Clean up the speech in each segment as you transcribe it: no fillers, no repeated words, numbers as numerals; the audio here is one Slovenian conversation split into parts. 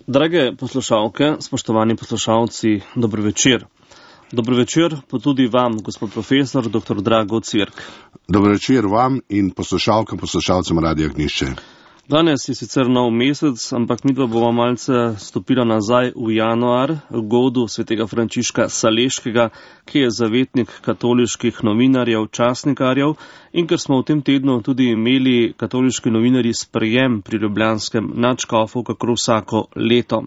Drage poslušalke, spoštovani poslušalci, dobro večer. Dobro večer pa tudi vam, gospod profesor, dr. Drago Cirk. Dobro večer vam in poslušalcem Radia Ognjišče. Danes je sicer nov mesec, ampak midva bova malce stopila nazaj v januar, godu svetega Frančiška Saleškega, ki je zavetnik katoliških novinarjev, časnikarjev, in ker smo v tem tednu tudi imeli katoliški novinarji sprejem pri ljubljanskem nadškofu, kakor vsako leto.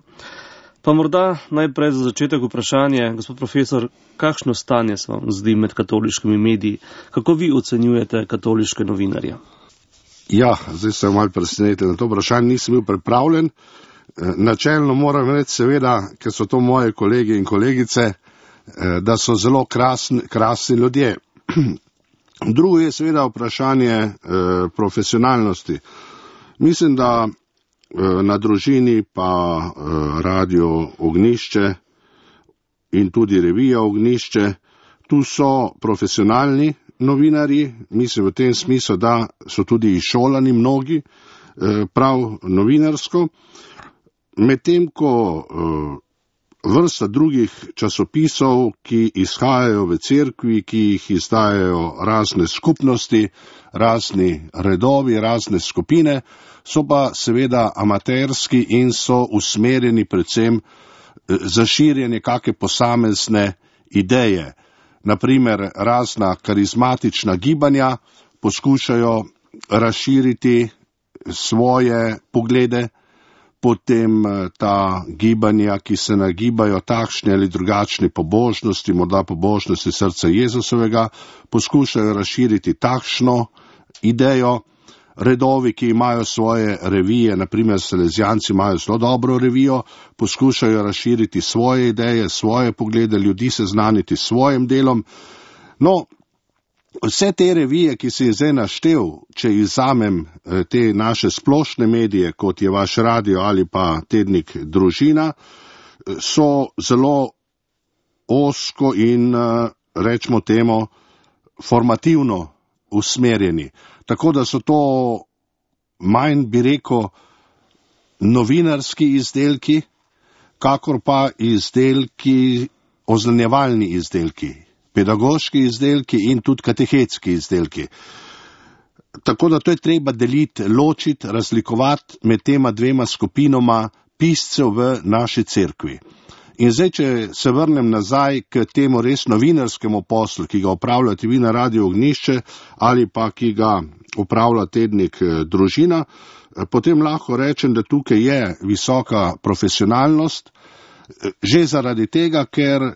Pa morda najprej za začetek vprašanje, gospod profesor, kakšno stanje se vam zdi med katoliškimi mediji? Kako vi ocenjujete katoliške novinarje? Ja, zdaj sem malo presenečen na to vprašanje, nisem bil pripravljen. Načelno moram reči, seveda, ker so to moje kolegi in kolegice, da so zelo krasni ljudje. Drugo je seveda vprašanje profesionalnosti. Mislim, da na Družini pa Radio Ognjišče in tudi revija Ognjišče, tu so profesionalni novinarji, mislim v tem smislu, da so tudi izšolani mnogi, prav novinarsko, medtem ko vrsta drugih časopisov, ki izhajajo v cerkvi, ki jih izdajajo razne skupnosti, razni redovi, razne skupine, so pa seveda amaterski in so usmerjeni predvsem za širjenje kake posamezne ideje. Naprimer, razna karizmatična gibanja poskušajo razširiti svoje poglede, potem ta gibanja, ki se nagibajo takšne ali drugačne pobožnosti, morda pobožnosti srca Jezusovega, poskušajo razširiti takšno idejo. Redovi, ki imajo svoje revije, naprimer Salezijanci imajo zelo dobro revijo, poskušajo razširiti svoje ideje, svoje poglede, ljudi seznaniti s svojim delom. No, vse te revije, ki si jih zdaj naštel, če izvzamem te naše splošne medije, kot je vaš radio ali pa tednik Družina, so zelo ozko in, rečemo temu, formativno usmerjeni. Tako da so to manj, bi rekel, novinarski izdelki, kakor pa izdelki, oznanjevalni izdelki, pedagoški izdelki in tudi katehetski izdelki. Tako da to je treba deliti, ločiti, razlikovati med tema dvema skupinoma piscev v naši cerkvi. In zdaj, če se vrnem nazaj k temu res novinarskemu poslu, ki ga opravljate vi na Radio Ognjišče ali pa ki ga upravlja tednik Družina, potem lahko rečem, da tukaj je visoka profesionalnost, že zaradi tega, ker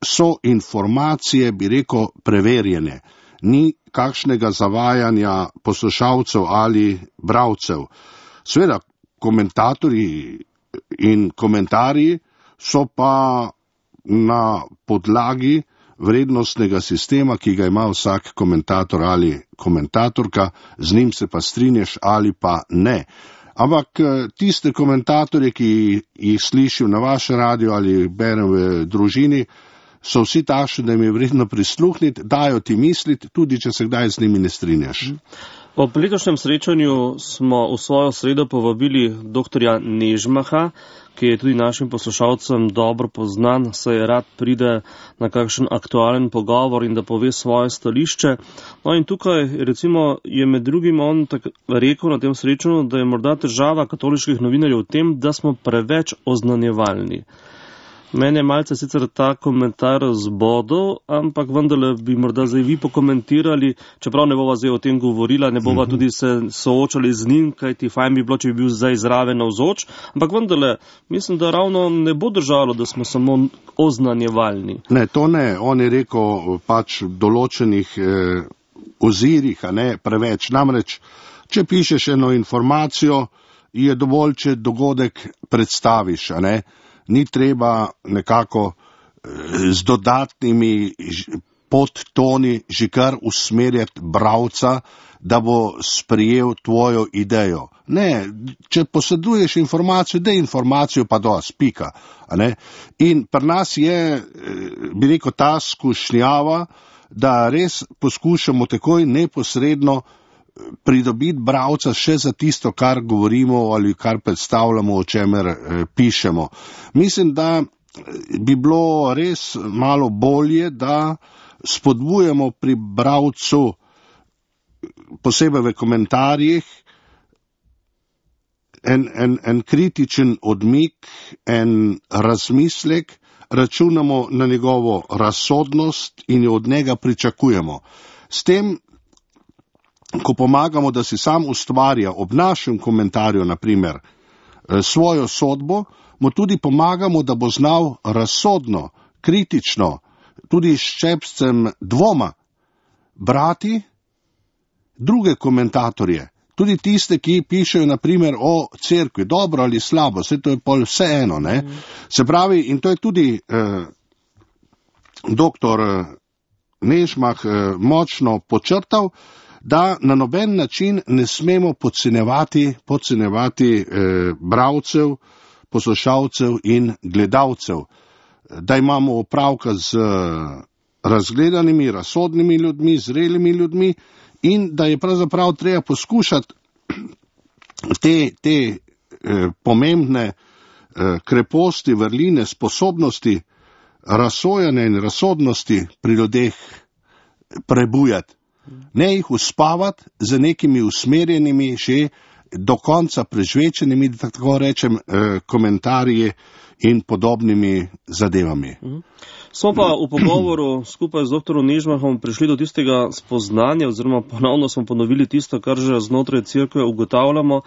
so informacije, bi rekel, preverjene. Ni kakšnega zavajanja poslušalcev ali bralcev. Seveda, komentatorji in komentarji so pa na podlagi vrednostnega sistema, ki ga ima vsak komentator ali komentatorka, z njim se pa strinjaš ali pa ne. Ampak tiste komentatorje, ki jih slišim na vaš radio ali berem v Družini, so vsi takšni, da jim je vredno prisluhniti, dajo ti misliti, tudi če se kdaj z njimi ne strinjaš. Ob letošnjem srečanju smo v svojo sredo povabili dr. Nežmaha, ki je tudi našim poslušalcem dobro poznan, saj rad pride na kakšen aktualen pogovor in da pove svoje stališče. No in tukaj recimo je med drugim on rekel na tem srečanju, da je morda težava katoliških novinarjev v tem, da smo preveč oznanjevalni. Mene je malce sicer ta komentar zbodel, ampak vendarle bi morda zdaj vi pokomentirali, čeprav ne bova zdaj o tem govorila, ne bova tudi se soočali z njim, kajti fajn bi bilo, če bi bil zdaj zraven navzoč, ampak vendarle mislim, da ravno ne bo držalo, da smo samo oznanjevalni. Ne, to ne. On je rekel pač v določenih ozirih, a ne preveč. Namreč, če pišeš eno informacijo, je dovolj, če dogodek predstaviš, a ne. Ni treba nekako z dodatnimi podtoni že kar usmerjati bralca, da bo sprejel tvojo idejo. Ne, če poseduješ informacijo, daj informacijo pa dosti, pika. In pri nas je, bi rekel, ta skušnjava, da res poskušamo takoj neposredno pridobiti bralca še za tisto, kar govorimo ali kar predstavljamo, o čemer pišemo. Mislim, da bi bilo res malo bolje, da spodbujamo pri bralcu, posebej v komentarjih, en kritičen odmik, en razmislek, računamo na njegovo razsodnost in jo od njega pričakujemo. S tem, ko pomagamo, da si sam ustvarja ob našem komentarju, naprimer, svojo sodbo, mu tudi pomagamo, da bo znal razsodno, kritično, tudi s ščepcem dvoma brati druge komentatorje, tudi tiste, ki pišejo naprimer o cerkvi, dobro ali slabo, vse to je pol vseeno, ne? Se pravi, in to je tudi doktor Nežmah močno počrtal, da na noben način ne smemo podcenjevati bralcev, poslušalcev in gledalcev, da imamo opravka z razgledanimi, razsodnimi ljudmi, zrelimi ljudmi in da je pravzaprav treba poskušati te pomembne kreposti, vrline, sposobnosti razsojanja in razsodnosti pri ljudeh prebujati. Ne jih uspavati z nekimi usmerjenimi, že do konca prežvečenimi, da tako rečem, komentarji in podobnimi zadevami. Smo pa v pogovoru skupaj z doktorom Nežmahom prišli do tistega spoznanja, oziroma ponovno smo ponovili tisto, kar že znotraj cerkve ugotavljamo,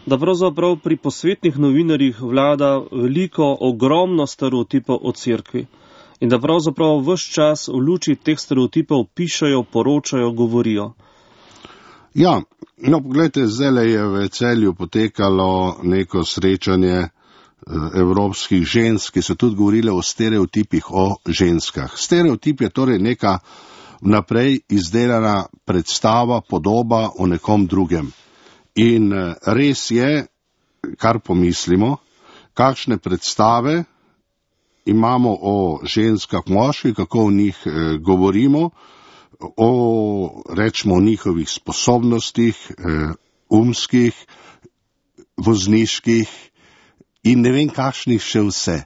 da pravzaprav pri posvetnih novinarjih vlada veliko, ogromno stereotipov o cerkvi. In da pravzaprav ves čas v luči teh stereotipov pišejo, poročajo, govorijo. Ja, no, pogledajte, zdaj je v Celju potekalo neko srečanje evropskih žensk, ki so tudi govorile o stereotipih o ženskah. Stereotip je torej neka vnaprej izdelana predstava, podoba o nekom drugem. In res je, kar pomislimo, kakšne predstave imamo o ženskah, moških, kako o njih govorimo, rečemo o njihovih sposobnostih, umskih, vozniških in ne vem kakšnih še vse.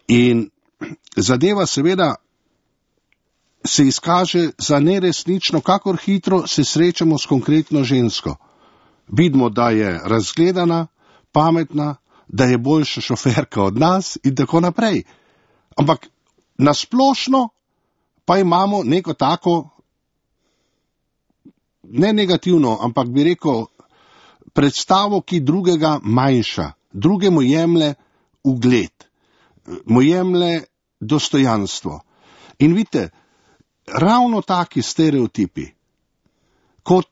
In zadeva seveda se izkaže za neresnično, kakor hitro se srečamo s konkretno žensko. Vidimo, da je razgledana, pametna, da je boljša šoferka od nas in tako naprej. Ampak nasplošno pa imamo neko tako, ne negativno, ampak bi rekel, predstavo, ki drugega manjša, drugemu jemlje ugled, mu jemlje dostojanstvo. In vidite, ravno taki stereotipi, kot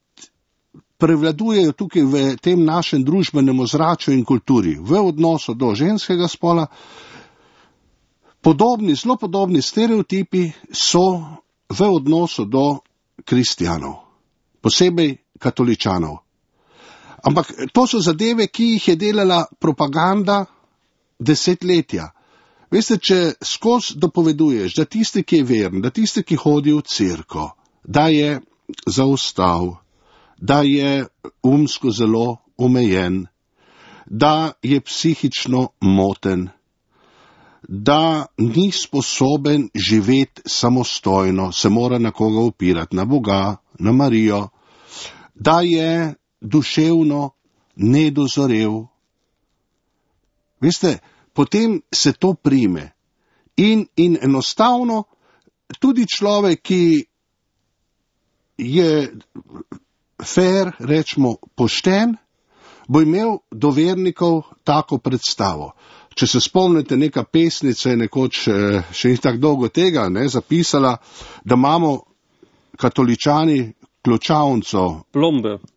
prevladujejo tukaj v tem našem družbenem ozračju in kulturi, v odnosu do ženskega spola, zelo podobni stereotipi so v odnosu do kristjanov, posebej katoličanov. Ampak to so zadeve, ki jih je delala propaganda desetletja. Veste, če skozi dopoveduješ, da tisti, ki je veren, da tisti, ki hodi v cerkev, da je zaostal, da je umsko zelo omejen, da je psihično moten, da ni sposoben živeti samostojno, se mora na koga opirati, na Boga, na Marijo, da je duševno nedozorel. Veste, potem se to prime. In enostavno tudi človek, ki je fair, rečemo pošten, bo imel do vernikov tako predstavo. Če se spomnite, neka pesnica je nekoč, še ni tako dolgo tega, zapisala, da imamo katoličani ključavnico,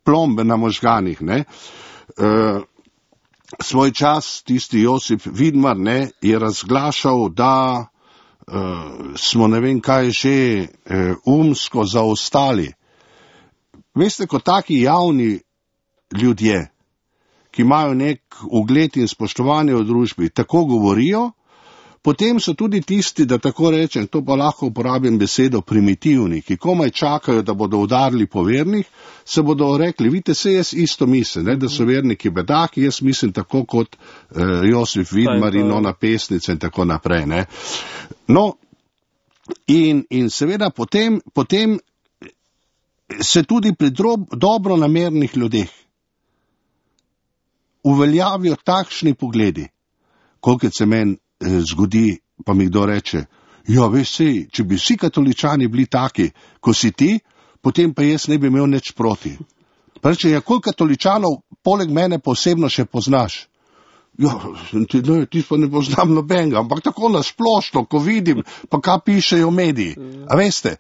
plombe na možganih. Svoj čas tisti Josip Vidmar je razglašal, da smo ne vem kaj že umsko zaostali. Veste, ko taki javni ljudje, ki imajo nek ugled in spoštovanje v družbi, tako govorijo, potem so tudi tisti, da tako rečem, to pa lahko uporabim besedo primitivni, ki komaj čakajo, da bodo udarili po vernih, se bodo rekli, vidite, se jaz isto mislim, da so verniki bedaki, jaz mislim tako kot Josif Vidmar in ona pesnica in tako naprej. Ne. No, in seveda potem se tudi pri dobronamernih ljudeh uveljavijo takšni pogledi, kolikor se meni zgodi, pa mi kdo reče, ja, veš sej, če bi vsi katoličani bili taki, ko si ti, potem pa jaz ne bi imel nič proti. Pa reče, ja, koliko katoličanov poleg mene posebno še poznaš? Ja, ti pa ne poznam nobenega, ampak tako nasplošno, ko vidim, pa kaj pišejo mediji. A veste,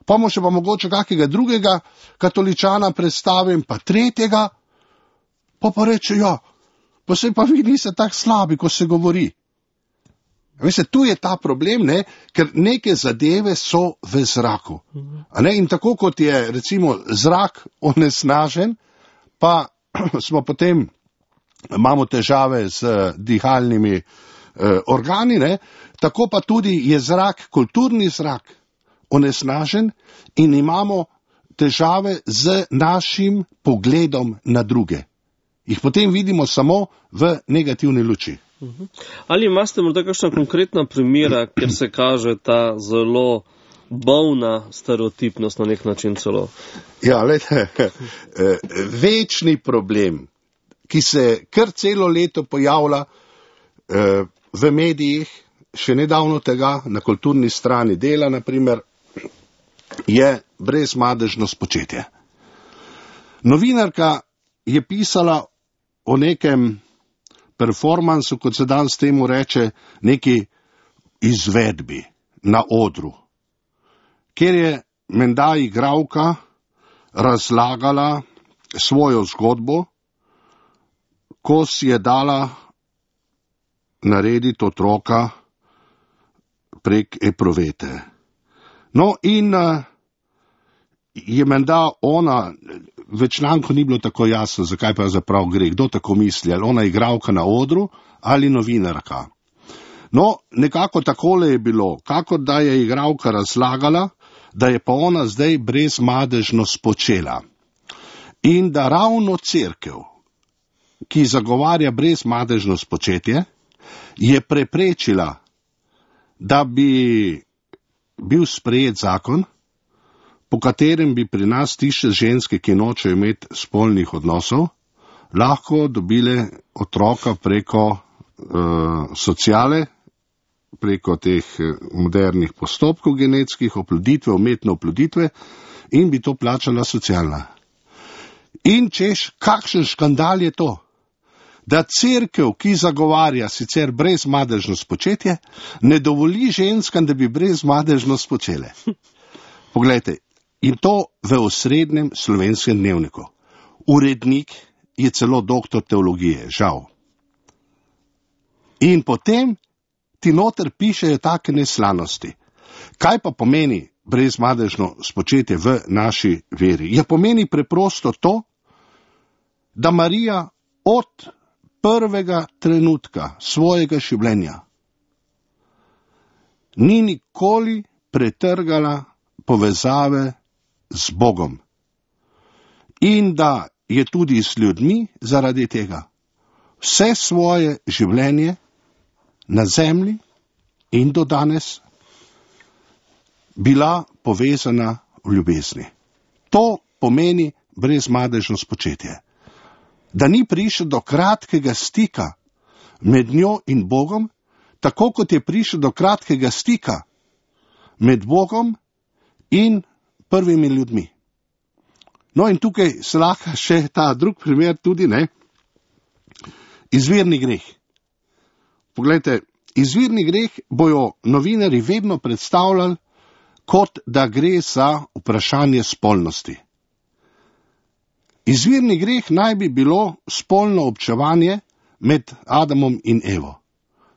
pa mu še pa mogoče kakega drugega katoličana predstavim, pa tretjega, pa reče, ja, pa se pa vi niste tak slabi, ko se govori. Veste, tu je ta problem, ne, ker neke zadeve so v zraku. A ne, in tako kot je, recimo, zrak onesnažen, pa smo potem, imamo težave z dihalnimi organi, ne, tako pa tudi je zrak, kulturni zrak, onesnažen in imamo težave z našim pogledom na druge. Jih potem vidimo samo v negativni luči. Ali imate morda kakšna konkretna primera, kjer se kaže ta zelo bolna stereotipnost na nek način celo? Ja, gledajte, večni problem, ki se kar celo leto pojavlja v medijih, še nedavno tega, na kulturni strani Dela, naprimer, je brezmadežno spočetje. Novinarka je pisala o nekem performansu, kot se danes temu reče, neki izvedbi na odru, kjer je menda igralka razlagala svojo zgodbo, ko si je dala narediti otroka prek epruvete. No, in je menda ona, v članku ni bilo tako jasno, zakaj pa zaprav gre, kdo tako misli, ali ona igralka na odru ali novinarka. No, nekako takole je bilo, kakor da je igralka razlagala, da je pa ona zdaj brezmadežno spočela. In da ravno cerkev, ki zagovarja brezmadežno spočetje, je preprečila, da bi bil sprejet zakon, po katerem bi pri nas tiste ženske, ki nočejo imeti spolnih odnosov, lahko dobile otroka preko sociale, preko teh modernih postopkov genetskih, oploditve, umetne oploditve, in bi to plačala socialna. In češ, kakšen škandal je to, da cerkev, ki zagovarja sicer brezmadežno spočetje, ne dovoli ženskam, da bi brezmadežno spočele. Poglejte, in to v osrednjem Slovenskem dnevniku. Urednik je celo doktor teologije, žal. In potem ti noter pišejo take neslanosti. Kaj pa pomeni brezmadežno spočetje v naši veri? Ja, pomeni preprosto to, da Marija od prvega trenutka svojega življenja ni nikoli pretrgala povezave z Bogom. In da je tudi s ljudmi zaradi tega vse svoje življenje na zemlji in do danes bila povezana v ljubezni. To pomeni brezmadežno spočetje. Da ni prišel do kratkega stika med njo in Bogom, tako kot je prišel do kratkega stika med Bogom in prvimi ljudmi. No, in tukaj se lahko še ta drug primer tudi, ne, izvirni greh. Poglejte, izvirni greh bojo novinarji vedno predstavljali, kot da gre za vprašanje spolnosti. Izvirni greh naj bi bilo spolno občevanje med Adamom in Evo.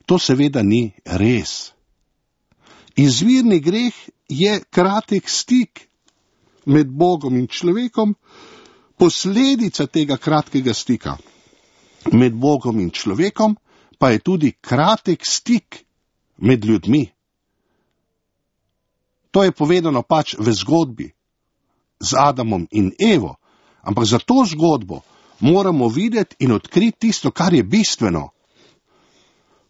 To seveda ni res. Izvirni greh je kratek stik med Bogom in človekom, posledica tega kratkega stika med Bogom in človekom pa je tudi kratek stik med ljudmi. To je povedano pač v zgodbi z Adamom in Evo, ampak za to zgodbo moramo videti in odkriti tisto, kar je bistveno.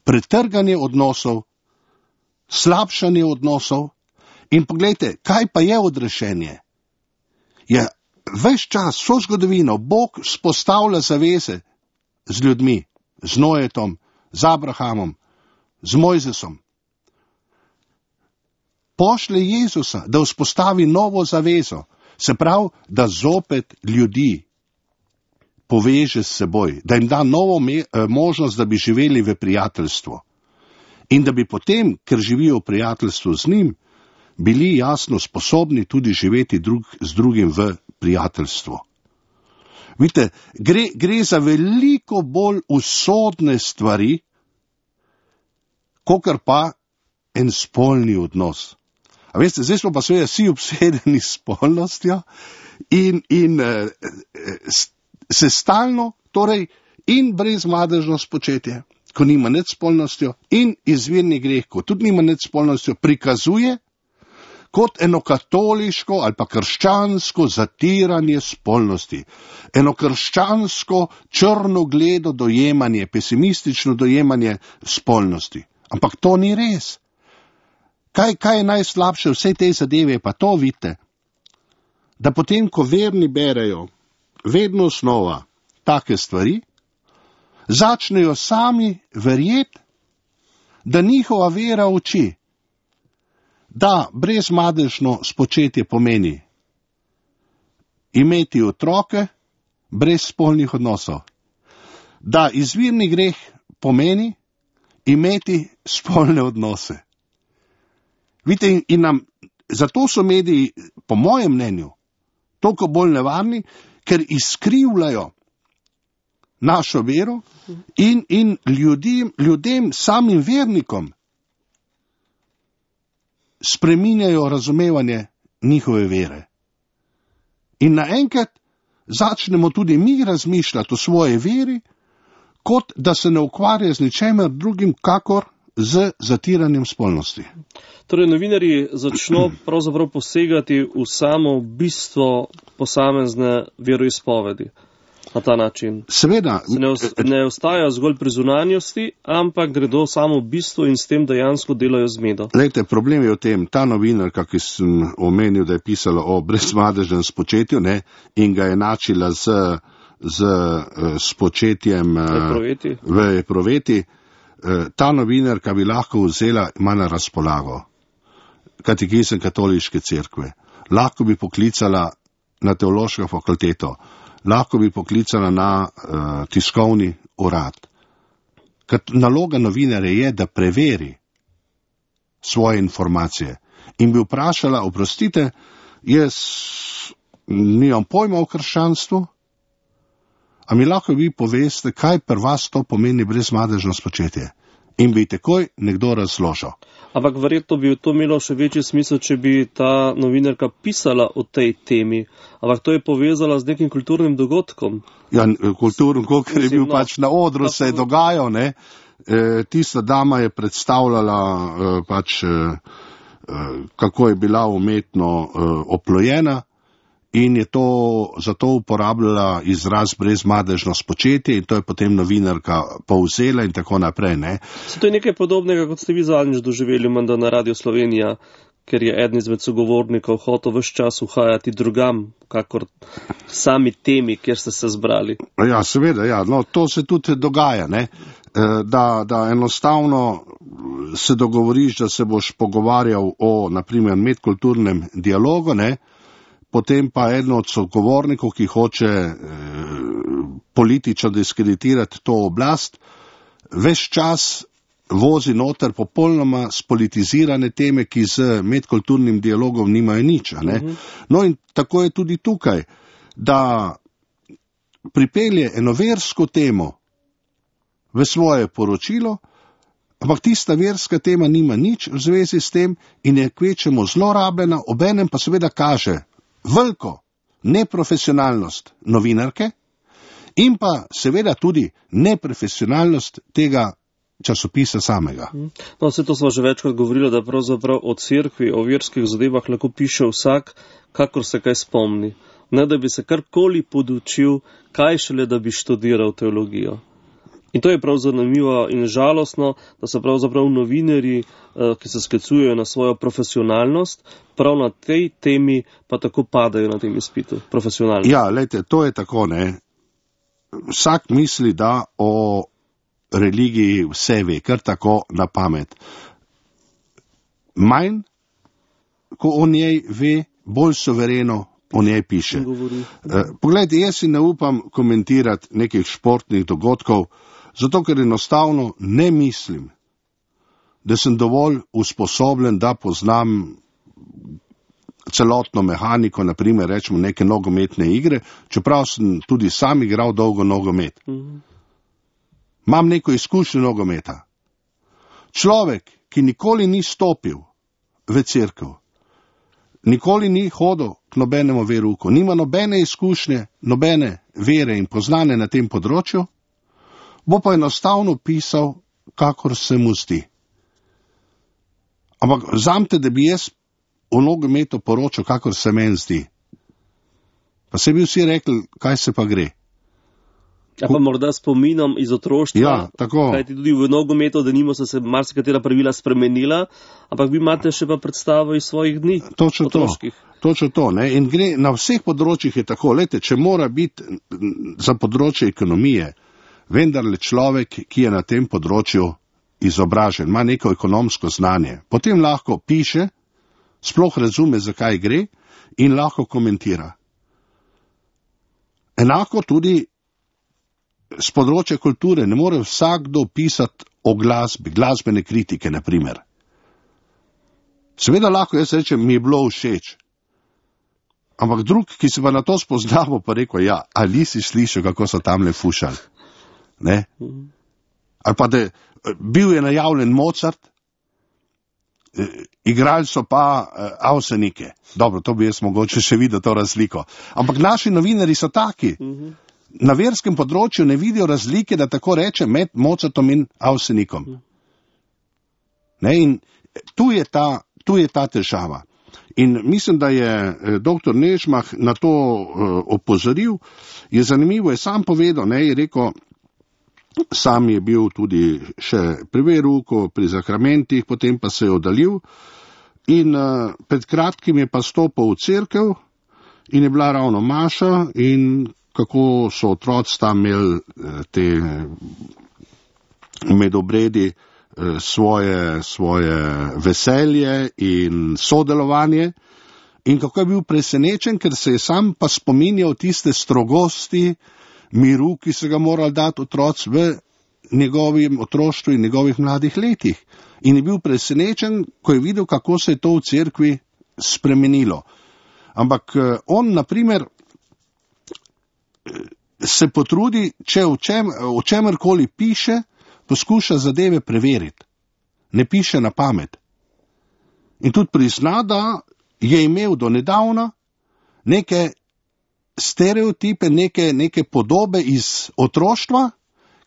Pretrganje odnosov, slabšanje odnosov in poglejte, kaj pa je odrešenje? Je ves čas, vso zgodovino, Bog vzpostavlja zaveze z ljudmi, z Noetom, z Abrahamom, z Mojzesom. Pošlje Jezusa, da vzpostavi novo zavezo, se pravi, da zopet ljudi poveže s seboj, da jim da novo možnost, da bi živeli v prijateljstvu. In da bi potem, ker živijo v prijateljstvu z njim, bili jasno sposobni tudi živeti z drugim v prijateljstvu. Vidite, gre za veliko bolj usodne stvari, kakor pa en spolni odnos. A veste, zdaj smo pa seveda vsi obsedeni s spolnostjo in se stalno, torej in brezmadežno spočetje, ko nima nič spolnostjo, in izvirni greh, ko tudi nima nič spolnostjo, prikazuje kot eno katoliško ali pa krščansko zatiranje spolnosti, eno krščansko črnogledo dojemanje, pesimistično dojemanje spolnosti. Ampak to ni res. Kaj je najslabše vse te zadeve, pa to vidite, da potem, ko verni berejo vedno znova take stvari, začnejo sami verjeti, da njihova vera uči, da brezmadežno spočetje pomeni imeti otroke brez spolnih odnosov, da izvirni greh pomeni imeti spolne odnose. Vidite, in zato so mediji, po mojem mnenju, toliko bolj nevarni, ker izkrivljajo našo vero in ljudem, samim vernikom, spreminjajo razumevanje njihove vere. In naenkrat začnemo tudi mi razmišljati o svoji veri, kot da se ne ukvarja z ničemer drugim, kakor z zatiranjem spolnosti. Torej, novinarji začno pravzaprav posegati v samo bistvo posamezne veroizpovedi na ta način. Seveda. Ne ostajajo zgolj pri zunanjosti, ampak gredo samo v bistvo in s tem dejansko delajo zmedo. Glejte, problem je v tem, ta novinarka, ki sem omenil, da je pisala o brezmadežnem spočetju, ne, in ga je načila z spočetjem v epruveti, ta novinarka bi lahko vzela, ima na razpolago katekizem katoliške cerkve, lahko bi poklicala na teološko fakulteto, lahko bi poklicala na tiskovni urad. Naloga novinarja je, da preveri svoje informacije in bi vprašala, oprostite, jaz nimam pojma o krščanstvu, a mi lahko vi poveste, kaj pri vas to pomeni brezmadežno spočetje? In bi takoj nekdo razložil. Ampak verjetno bi to imelo še večji smisel, če bi ta novinarka pisala o tej temi. Ampak to je povezala z nekim kulturnim dogodkom. Ja, kulturnim, ker je bil pač na odru, se je dogajal, ne. Tista dama je predstavljala kako je bila umetno oplojena, in je to zato uporabljala izraz brezmadežno spočetje in to je potem novinarka povzela in tako naprej, ne. To je nekaj podobnega, kot ste vi zadnjič doživeli menda na Radio Slovenija, ker je eden izmed sogovornikov hotel ves čas uhajati drugam, kakor sami temi, kjer ste se zbrali. Ja, seveda, ja, no, to se tudi dogaja, ne, da enostavno se dogovoriš, da se boš pogovarjal o, naprimer, medkulturnem dialogu, ne, potem pa eden od sogovornikov, ki hoče politično diskreditirati to oblast, ves čas vozi noter popolnoma spolitizirane teme, ki z medkulturnim dialogom nimajo nič. No in tako je tudi tukaj, da pripelje eno versko temo v svoje poročilo, ampak tista verska tema nima nič v zvezi s tem in je kvečemo zlorabljena, obenem pa seveda kaže veliko neprofesionalnost novinarke in pa seveda tudi neprofesionalnost tega časopisa samega. No, vse to smo že večkrat govorili, da pravzaprav o cerkvi, o verskih zadevah lahko piše vsak, kakor se kaj spomni. Ne, da bi se karkoli podučil, kaj šele, da bi študiral teologijo. In to je prav zanimivo in žalostno, da so pravzaprav novinarji, ki se sklicujejo na svojo profesionalnost, prav na tej temi pa tako padajo na tem izpitu, profesionalno. Ja, lejte, to je tako, ne. Vsak misli, da o religiji vse ve, kar tako na pamet. Manj, ko o njej ve, bolj suvereno o njej piše. Poglejte, jaz si ne upam komentirati nekih športnih dogodkov, zato ker enostavno ne mislim, da sem dovolj usposobljen, da poznam celotno mehaniko, naprimer rečemo neke nogometne igre, čeprav sem tudi sam igral dolgo nogomet. Imam neko izkušnjo nogometa. Človek, ki nikoli ni stopil v cerkev, nikoli ni hodil k nobenemu verouku, nima nobene izkušnje, nobene vere in poznane na tem področju, bo pa enostavno pisal, kakor se mu zdi. Ampak vzamete, da bi jaz o nogometu poročal, kakor se meni zdi. Pa se bi vsi rekli, kaj se pa gre. Ja, pa morda spominom iz otroštva, ja, tako. Kajti tudi v nogometu, da nimo so se marsikatera pravila spremenila, ampak vi imate še pa predstavo iz svojih dni. Točno to, ne? In gre na vseh področjih je tako. Lejte, če mora biti za področje ekonomije, vendarle človek, ki je na tem področju izobražen, ima neko ekonomsko znanje, potem lahko piše, sploh razume, zakaj gre in lahko komentira. Enako tudi z področja kulture ne more vsakdo pisati o glasbi, glasbene kritike, na primer. Seveda lahko jaz rečem, mi je bilo všeč. Ampak drug, ki se pa na to spoznamo, pa rekel, ja, ali si slišal, kako so tamle fušali? Ne? Ali pa da bil je najavljen Mozart, igrali so pa Avsenike. Dobro, to bi jaz mogoče še videl to razliko. Ampak naši novinari so taki. Na verskem področju ne vidijo razlike, da tako reče, med Mozartom in Avsenikom. Ne? In tu je ta težava. In mislim, da je dr. Nežmah na to opozoril. Je zanimivo, je sam povedal, ne, je rekel, sam je bil tudi še pri verouku, pri zakramentih, potem pa se je oddaljil. In pred kratkim je pa stopil v cerkev in je bila ravno maša in kako so otroci tam imeli te medobredi svoje veselje in sodelovanje in kako je bil presenečen, ker se je sam pa spominjal tiste strogosti, miru, ki se ga morali dati otroci v njegovim otroštvu in njegovih mladih letih. In je bil presenečen, ko je videl, kako se je to v cerkvi spremenilo. Ampak on, na primer, se potrudi, če o čemerkoli piše, poskuša zadeve preveriti. Ne piše na pamet. In tudi prizna, da je imel do nedavna neke stereotipe, neke podobe iz otroštva,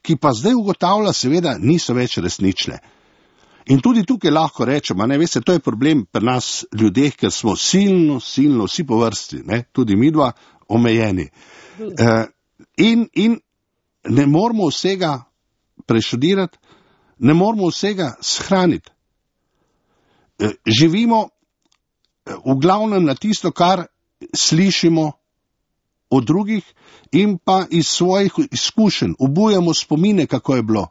ki pa zdaj ugotavlja, seveda, niso več resnične. In tudi tukaj lahko rečemo, ne, veste, to je problem pri nas ljudeh, ker smo silno, vsi po vrsti, ne, tudi midva, omejeni. In ne moramo vsega preštudirati, ne moramo vsega shraniti. Živimo v glavnem na tisto, kar slišimo od drugih in pa iz svojih izkušenj, obujamo spomine, kako je bilo.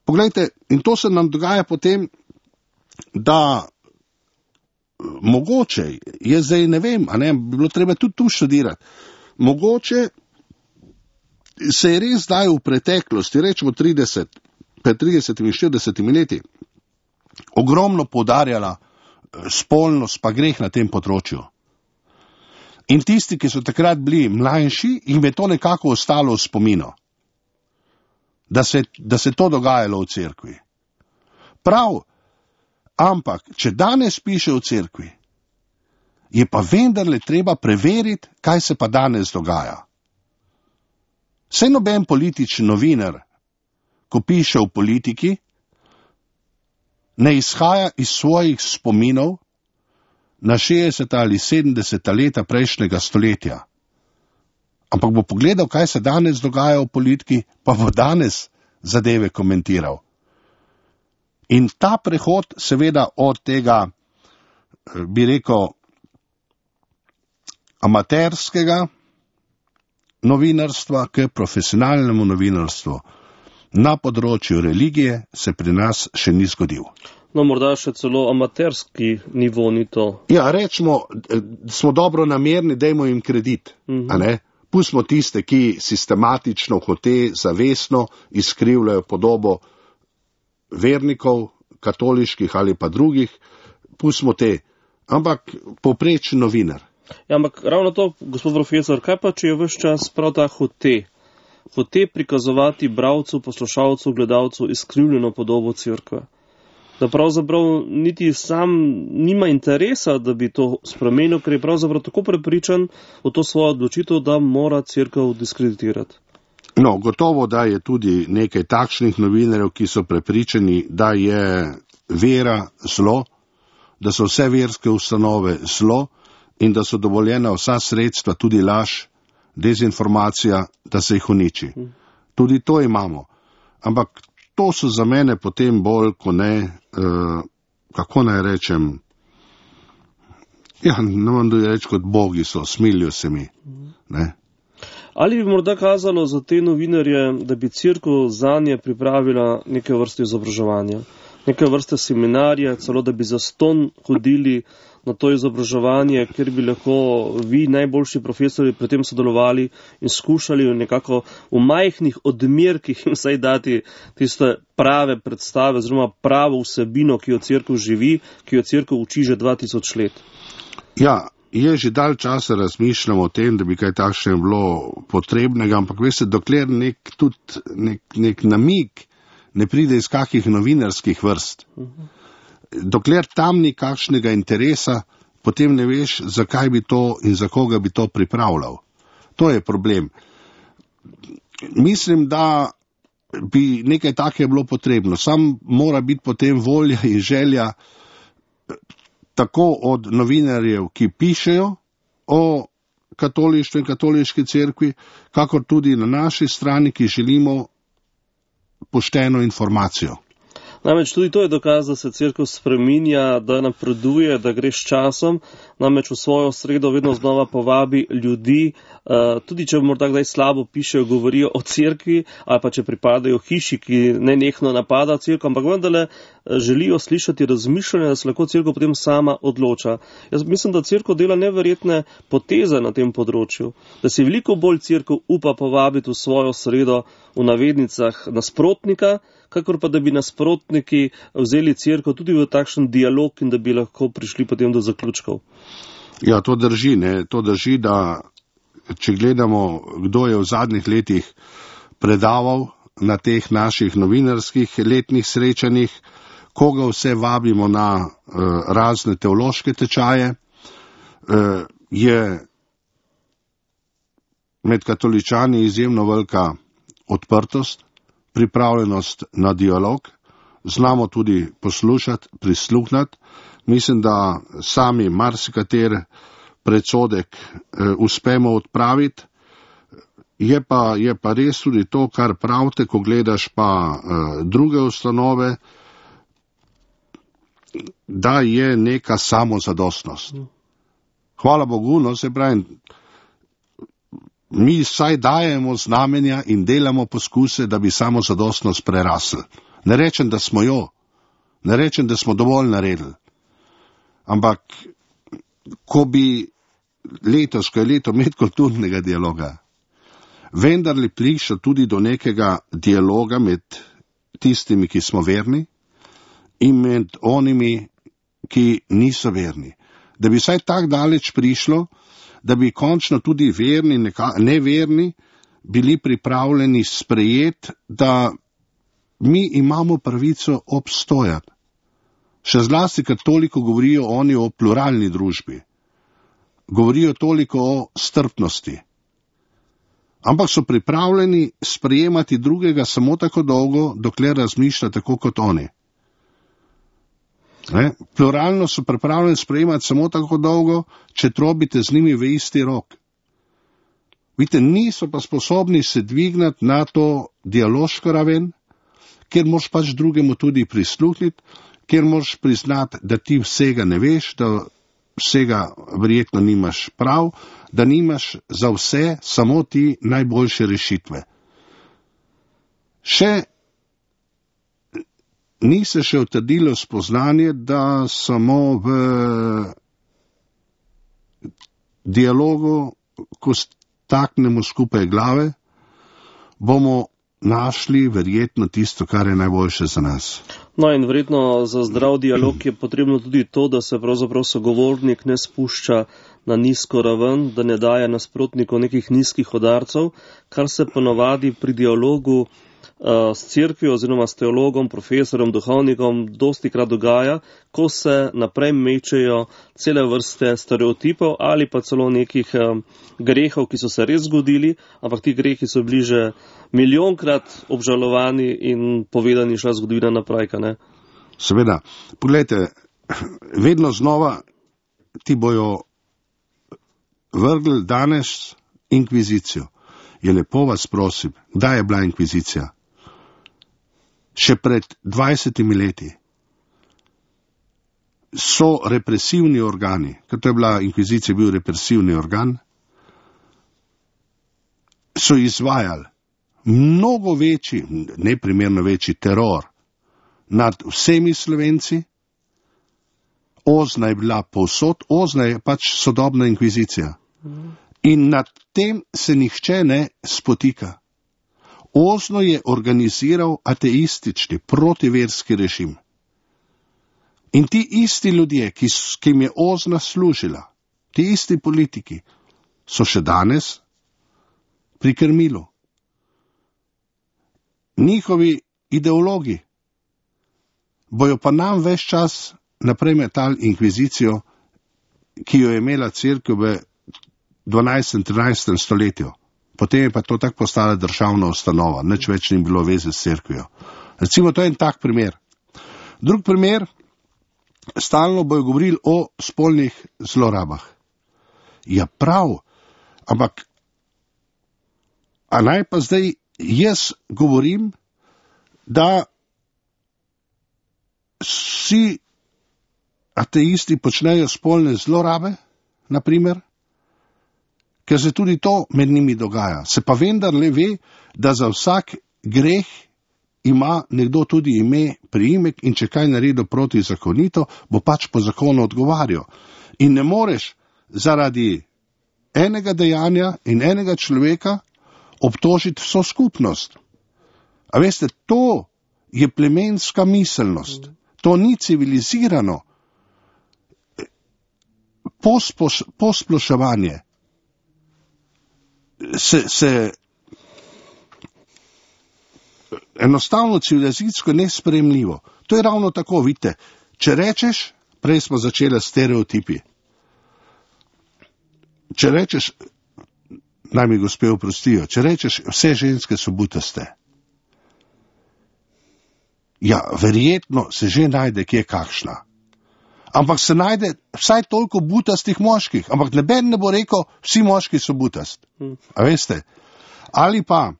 Poglejte, in to se nam dogaja potem, da mogoče, jaz zdaj ne vem, a ne, bi bilo treba tudi tu študirati, mogoče se je res zdaj v preteklosti, rečemo pred 30 in 40 leti, ogromno poudarjala spolnost pa greh na tem področju. In tisti, ki so takrat bili mlajši, jim je to nekako ostalo v spominu, da se to dogajalo v cerkvi. Prav, ampak, če danes piše v cerkvi, je pa vendarle treba preveriti, kaj se pa danes dogaja. Saj noben politični novinar, ko piše v politiki, ne izhaja iz svojih spominov na 60 ali 70 leta prejšnjega stoletja. Ampak bo pogledal, kaj se danes dogaja v politiki, pa bo danes zadeve komentiral. In ta prehod seveda od tega, bi rekel, amaterskega novinarstva k profesionalnemu novinarstvu na področju religije se pri nas še ni zgodil. No, morda še celo amaterski nivo ni to. Ja, rečemo, smo dobro namerni, dajmo jim kredit, a ne? Pustimo tiste, ki sistematično, hote, zavestno izkrivljajo podobo vernikov, katoliških ali pa drugih, pustimo te. Ampak povprečen novinar. Ja, ampak ravno to, gospod profesor, kaj pa, če je ves čas prav ta hote? Hote prikazovati bralcu, poslušalcu, gledalcu izkrivljeno podobo cerkve. Da pravzaprav niti sam nima interesa, da bi to spremenil, ker je pravzaprav tako prepričan v to svojo odločitev, da mora cerkev diskreditirati. No, gotovo, da je tudi nekaj takšnih novinarjev, ki so prepričani, da je vera zlo, da so vse verske ustanove zlo in da so dovoljena vsa sredstva, tudi laž, dezinformacija, da se jih uniči. Tudi to imamo. Ampak to so za mene potem bolj, ko ne, kako naj rečem, ja, ne vam da reči kot bogi so, smilijo se mi. Ne? Ali bi morda kazalo za te novinarje, da bi cerkev zanje pripravila neke vrste izobraževanja, neke vrste seminarje, celo da bi zastonj hodili na to izobraževanje, kjer bi lahko vi, najboljši profesori, pri tem sodelovali in skušali nekako v majhnih odmerkih jim vsaj dati tiste prave predstave, oziroma pravo vsebino, ki jo cerkev živi, ki jo cerkev uči že 2000 let. Ja, je že dalj časa razmišljam o tem, da bi kaj takšne bilo potrebnega, ampak veste, dokler nek namig ne pride iz kakih novinarskih vrst, dokler tam ni kakšnega interesa, potem ne veš, zakaj bi to in za koga bi to pripravljal. To je problem. Mislim, da bi nekaj takega bilo potrebno. Sam mora biti potem volja in želja tako od novinarjev, ki pišejo o katolištvu in katoliški cerkvi, kakor tudi na naši strani, ki želimo pošteno informacijo. Namreč tudi to je dokaz, da se cerkev spreminja, da napreduje, da gre s časom, namreč v svojo sredo vedno znova povabi ljudi, tudi če morda kdaj slabo pišejo, govorijo o cerkvi, ali pa če pripadajo hiši, ki nenehno napada cerkev, ampak vendarle želijo slišati razmišljanje, da se lahko cerkev potem sama odloča. Jaz mislim, da cerkev dela neverjetne poteze na tem področju, da se veliko bolj cerkev upa povabiti v svojo sredo, v navednicah, nasprotnika, kakor pa da bi nasprotniki vzeli cerkev tudi v takšen dialog in da bi lahko prišli potem do zaključkov. Ja, to drži, ne? To drži, da če gledamo, kdo je v zadnjih letih predaval na teh naših novinarskih letnih srečanjih, koga vse vabimo na razne teološke tečaje, je med katoličani izjemno velika odprtost, pripravljenost na dialog, znamo tudi poslušati, prisluhnati. Mislim, da sami marsikater predsodek uspemo odpraviti. Je pa res tudi to, kar pravite, ko gledaš pa druge ustanove, da je neka samozadostnost. Hvala Bogu, no, se pravi, mi saj dajemo znamenja in delamo poskuse, da bi samozadostnost prerasli. Ne rečem, da smo jo, ne rečem, da smo dovolj naredili. Ampak, ko bi letos, ko je leto medkulturnega dialoga, vendarle prišlo tudi do nekega dialoga med tistimi, ki smo verni, in med onimi, ki niso verni. Da bi vsaj tak daleč prišlo, da bi končno tudi verni, neverni, bili pripravljeni sprejeti, da mi imamo pravico obstojati. Še zlasti, ker toliko govorijo oni o pluralni družbi. Govorijo toliko o strpnosti, ampak so pripravljeni sprejemati drugega samo tako dolgo, dokler razmišlja tako kot oni. Pluralno so pripravljeni sprejemati samo tako dolgo, če trobite z njimi v isti rok. Vidite, niso pa sposobni se dvignati na to dialoško raven, kjer moraš pač drugemu tudi prisluhniti, kjer moraš priznati, da ti vsega ne veš, da vsega verjetno nimaš prav, da nimaš za vse samo ti najboljše rešitve. Ni se še utrdilo spoznanje, da samo v dialogu, ko staknemo skupaj glave, bomo našli verjetno tisto, kar je najboljše za nas. No in verjetno za zdrav dialog je potrebno tudi to, da se pravzaprav sogovornik ne spušča na nizko raven, da ne daje nasprotnikov nekih nizkih udarcev, kar se ponavadi pri dialogu s cerkvijo oziroma s teologom, profesorjem, duhovnikom dostikrat dogaja, ko se naprej mečejo cele vrste stereotipov ali pa celo nekih grehov, ki so se res zgodili, ampak ti grehi so bili že milijonkrat obžalovani in povedani šla zgodovina naprej, ne? Seveda. Poglejte, vedno znova ti bojo vrgli danes inkvizicijo. Je lepo vas prosim, kdaj je bila inkvizicija? Še pred 20 leti so represivni organi, ker to je bila inkvizicija, bil represivni organ, so izvajali mnogo večji, neprimerno večji teror nad vsemi Slovenci. Ozna je bila povsod, Ozna je pač sodobna inkvizicija. In nad tem se nihče ne spotika. Ozno je organiziral ateistični, protiverski režim. In ti isti ljudje, ki jim je Ozna služila, ti isti politiki, so še danes pri krmilu. Njihovi ideologi bojo pa nam ves čas naprej metali inkvizicijo, ki jo je imela cerkev v 12. 13. stoletju. Potem je pa to tako postala državna ustanova, nič več ni bilo veze s cerkvijo. Recimo, to je en tak primer. Drug primer, stalno bojo govorili o spolnih zlorabah. Ja, prav, ampak a naj pa zdaj jaz govorim, da vsi ateisti počnejo spolne zlorabe, naprimer, ker se tudi to med njimi dogaja. Se pa vendarle ve, da za vsak greh ima nekdo tudi ime, priimek in če kaj naredi protizakonito, bo pač po zakonu odgovarjal. In ne moreš zaradi enega dejanja in enega človeka obtožiti vso skupnost. A veste, to je plemenska miselnost. To ni civilizirano posploševanje. Se enostavno civilizacijsko nesprejemljivo. To je ravno tako, vidite, če rečeš, prej smo začeli stereotipi. Če rečeš, naj mi gospe oprostijo, če rečeš, vse ženske so butaste. Ja, verjetno se že najde kje kakšna. Ampak se najde vsaj toliko butastih moških. Ampak noben ne bo rekel, vsi moški so butast. A veste? Ali pa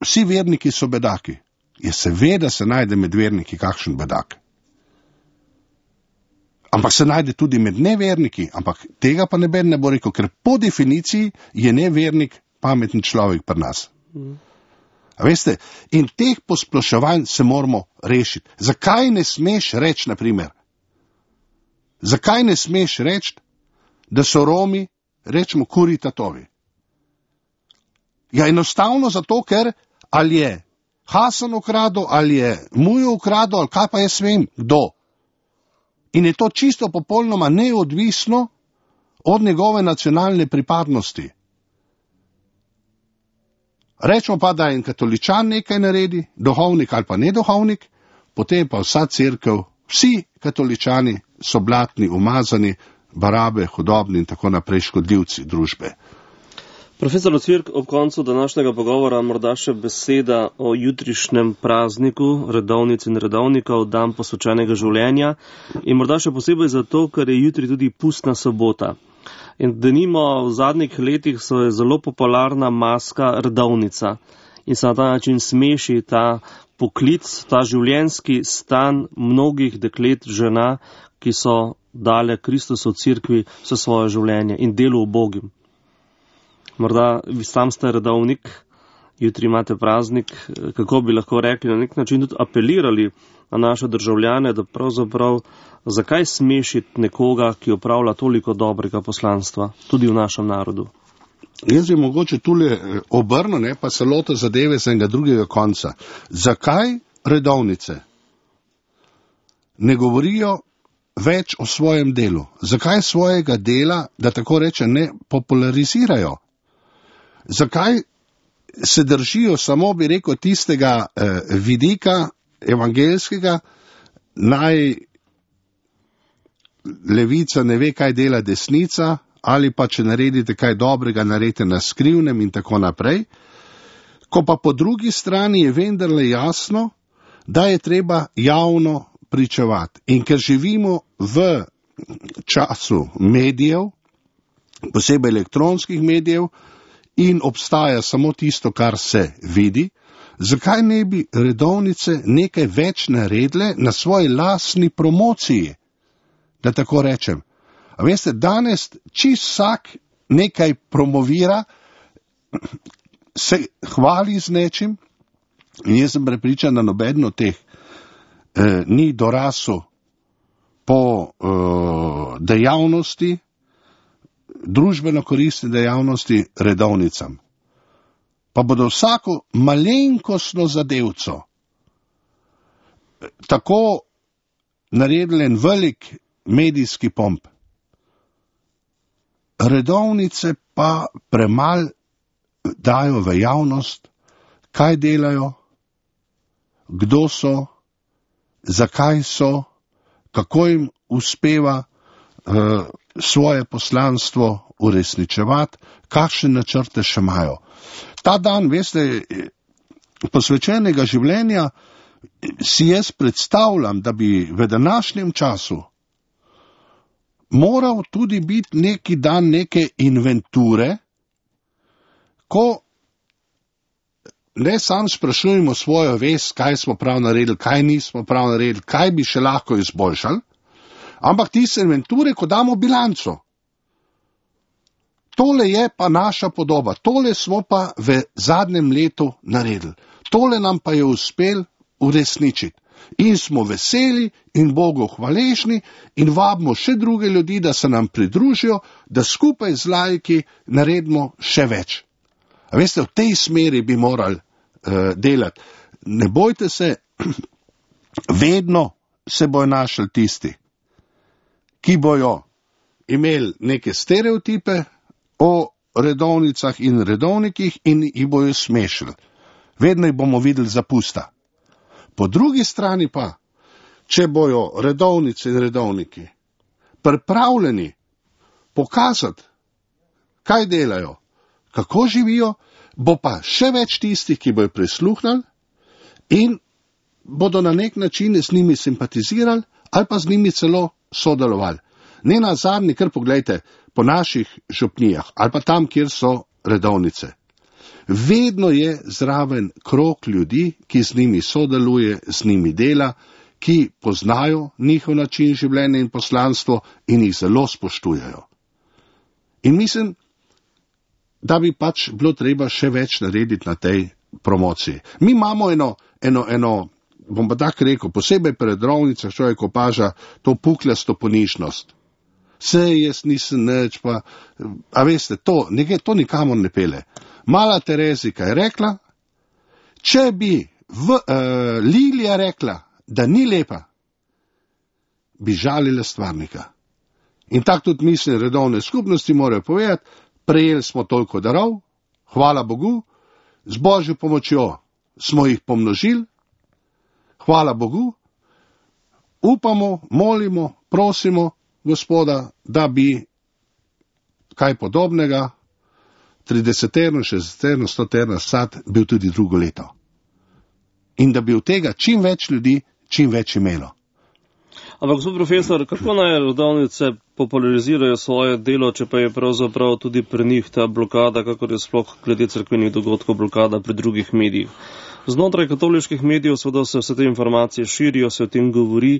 vsi verniki so bedaki. Je seveda se najde med verniki kakšen bedak. Ampak se najde tudi med neverniki. Ampak tega pa noben ne bo rekel, ker po definiciji je nevernik pameten človek pri nas. A veste, in teh posploševanj se moramo rešiti. Zakaj ne smeš reči, naprimer? Zakaj ne smeš reči, da so Romi, rečemo, kuri tatovi? Ja, enostavno zato, ker ali je Hasan ukradel, ali je Mujo ukradel, ali kaj pa jaz vem, kdo. In je to čisto popolnoma neodvisno od njegove nacionalne pripadnosti. Rečemo pa, da je en katoličan nekaj naredi, duhovnik ali pa neduhovnik, potem pa vsa cerkev, vsi katoličani so blatni, umazani, barabe, hudobni in tako naprej škodljivci družbe. Profesor Ocvirk, ob koncu današnjega pogovora morda še beseda o jutrišnjem prazniku redovnic in redovnikov, dan posvečenega življenja, in morda še posebej zato, ker je jutri tudi pustna sobota. In denimo v zadnjih letih so je zelo popularna maska redovnica in se na ta način smeši ta poklic, ta življenjski stan mnogih deklet, žena, ki so dale Kristusu v cerkvi vse svoje življenje in delu ubogim. Morda vi sam ste redovnik, jutri imate praznik, kako bi lahko rekli, na nek način tudi apelirali na naše državljane, da pravzaprav zakaj smešiti nekoga, ki opravlja toliko dobrega poslanstva, tudi v našem narodu. Jaz bi mogoče tule obrnil, pa se lotil zadeve z enega drugega konca. Zakaj redovnice ne govorijo več o svojem delu? Zakaj svojega dela, da tako reče, ne popularizirajo? Zakaj se držijo samo, bi rekel, tistega vidika evangelskega, naj levica ne ve, kaj dela desnica, ali pa če naredite kaj dobrega, naredite na skrivnem in tako naprej, ko pa po drugi strani je vendarle jasno, da je treba javno pričevati. In ker živimo v času medijev, posebej elektronskih medijev, in obstaja samo tisto, kar se vidi, zakaj ne bi redovnice nekaj več naredile na svoji lastni promociji, da tako rečem. A veste, danes čisto vsak nekaj promovira, se hvali z nečim, in jaz sem prepričan, da nobeden od teh ni dorasel po dejavnosti, družbeno koristne dejavnosti redovnicam. Pa bodo vsako malenkostno zadevco tako naredili en velik medijski pomp. Redovnice pa premal dajo v javnost, kaj delajo, kdo so, zakaj so, kako jim uspeva svoje poslanstvo uresničevati, kakšne načrte še imajo. Ta dan, veste, posvečenega življenja si jaz predstavljam, da bi v današnjem času moral tudi biti neki dan neke inventure, ko ne sam sprašujemo svojo vest, kaj smo prav naredili, kaj nismo prav naredili, kaj bi še lahko izboljšali, ampak tiste inventure, ko damo bilanco. Tole je pa naša podoba, tole smo pa v zadnjem letu naredili, tole nam pa je uspel uresničiti. In smo veseli in Bogu hvaležni in vabimo še druge ljudi, da se nam pridružijo, da skupaj z laiki naredimo še več. A veste, v tej smeri bi morali delati. Ne bojte se, vedno se bojo našli tisti, ki bojo imeli neke stereotipe o redovnicah in redovnikih in jih bojo smešili. Vedno jih bomo videli za pusta. Po drugi strani pa, če bojo redovnice in redovniki pripravljeni pokazati, kaj delajo, kako živijo, bo pa še več tistih, ki bojo prisluhnili in bodo na nek način z njimi simpatizirali ali pa z njimi celo sodelovali. Ne na zadnji, kar pogledajte, po naših župnijah ali pa tam, kjer so redovnice. Vedno je zraven krog ljudi, ki z njimi sodeluje, z njimi dela, ki poznajo njihov način življenja in poslanstvo in jih zelo spoštujejo. In mislim, da bi pač bilo treba še več narediti na tej promociji. Mi imamo eno bom pa tako rekel, posebej pri redovnicah človek opaža to pukljasto ponižnost. Sej jaz nisem nič, pa, a veste, to nikamor ne pele. Mala Terezika je rekla, če bi Lilija rekla, da ni lepa, bi žalila stvarnika. In tako tudi mislim, redovne skupnosti morajo povedati, prejeli smo toliko darov, hvala Bogu, z Božjo pomočjo smo jih pomnožili, hvala Bogu, upamo, molimo, prosimo Gospoda, da bi kaj podobnega 30-terno, 60-terno, 100-terno sad bil tudi drugo leto. In da bi od tega čim več ljudi, čim več imelo. Ampak, gospod profesor, kako naj rodovnice popularizirajo svoje delo, če pa je pravzaprav tudi pri njih ta blokada, kakor je sploh glede cerkvenih dogodkov blokada pri drugih medijih? Znotraj katoliških medijev seveda se vse te informacije širijo, se o tem govori.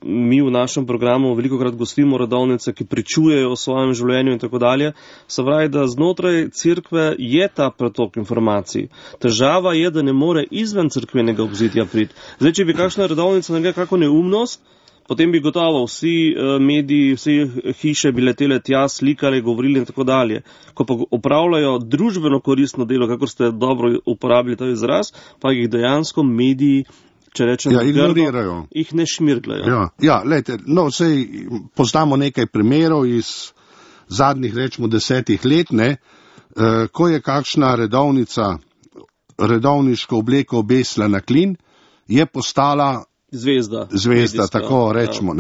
Mi v našem programu velikokrat gostimo rodovnice, ki pričujejo o svojem življenju in tako dalje. Se pravi, da znotraj cerkve je ta pretok informacij. Težava je, da ne more izven cerkvenega obzidja priti. Zdaj, če bi kakšna rodovnica naredila kako neumnost, potem bi gotovo vsi mediji, vsi hiše bi letele tja, slikali, govorili in tako dalje. Ko pa opravljajo družbeno koristno delo, kakor ste dobro uporabili ta izraz, pa jih dejansko mediji, če rečem, ignorirajo. Jih ne šmirgljajo. Lejte, sej poznamo nekaj primerov iz zadnjih, rečemo, 10 let, ko je kakšna redovniško obleko obesila na klin, je postala Zvezda, medijska, tako rečemo,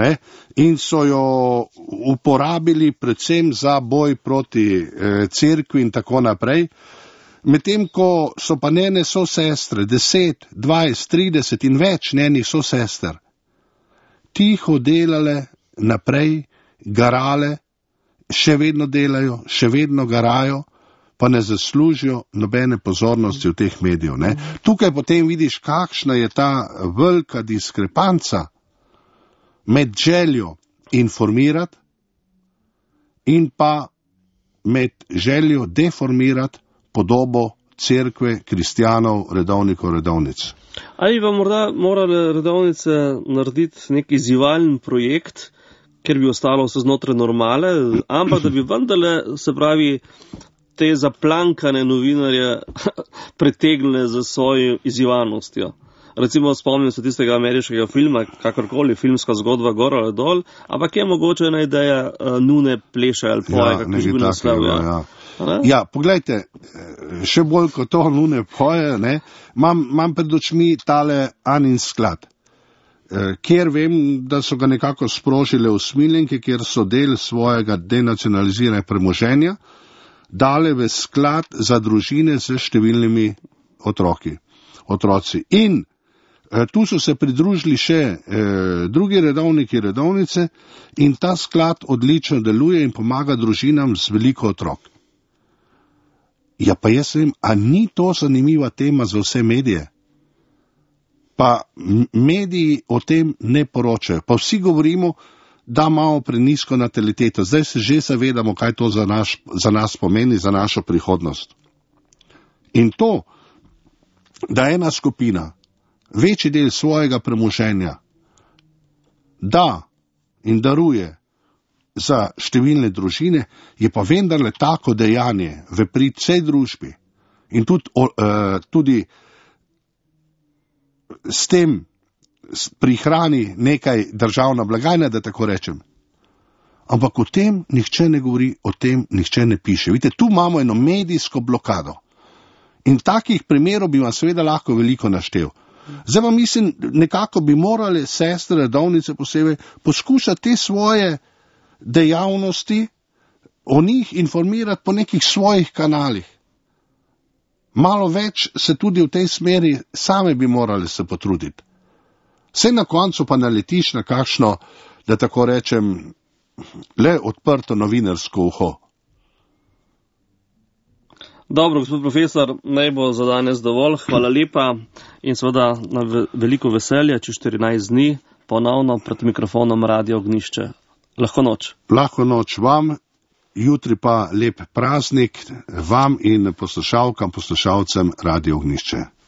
in so jo uporabili predvsem za boj proti cerkvi in tako naprej. Medtem ko so pa njene sosestre, 10, 20, 30 in več njenih sosester, tiho delale naprej, garale, še vedno delajo, še vedno garajo, pa ne zaslužijo nobene pozornosti v teh medijev. Tukaj potem vidiš, kakšna je ta velika diskrepanca med željo informirati in pa med željo deformirati podobo cerkve, kristjanov, redovnikov, redovnic. Ali pa morda morale redovnice narediti nek izzivalni projekt, ker bi ostalo vse znotraj normale, ampak da bi vendarle, se pravi, te zaplankane novinarje pritegnile za svojo izzivalnostjo. Recimo spomnim se tistega ameriškega filma, kakorkoli, filmska zgodba gor ali dol, ampak je mogoče ena ideja nune pleše ali poje, kako bi bil naslov. Poglejte, še bolj kot to nune poje, imam pred očmi tale Anin sklad, kjer vem, da so ga nekako sprožile usmiljenke, kjer so del svojega denacionaliziranja premoženja dale v sklad za družine z številnimi otroci. In tu so se pridružili še drugi redovniki, redovnice, in ta sklad odlično deluje in pomaga družinam z veliko otrok. Ja, pa jaz vem, a ni to zanimiva tema za vse medije? Pa mediji o tem ne poročajo. Pa vsi govorimo, da imamo prenisko nataliteto. Zdaj se že zavedamo, kaj to za nas pomeni, za našo prihodnost. In to, da ena skupina večji del svojega premoženja da in daruje za številne družine, je pa vendarle tako dejanje v prid vsej družbi in tudi s tem prihrani nekaj državna blagajna, da tako rečem. Ampak o tem nihče ne govori, o tem nihče ne piše. Vidite, tu imamo eno medijsko blokado. In takih primerov bi vam seveda lahko veliko naštel. Zdaj pa mislim, nekako bi morali sestre, redovnice posebej, poskušati te svoje dejavnosti o njih informirati po nekih svojih kanalih. Malo več se tudi v tej smeri same bi morali se potruditi. Vse na koncu pa naletiš na kakšno, da tako rečem, le odprto novinarsko uho. Dobro, gospod profesor, naj bo za danes dovolj. Hvala lepa in seveda na veliko veselje, čez 14 dni ponovno pred mikrofonom Radio Ognjišče. Lahko noč. Lahko noč vam, jutri pa lep praznik vam in poslušalkam, poslušalcem Radio Ognjišče.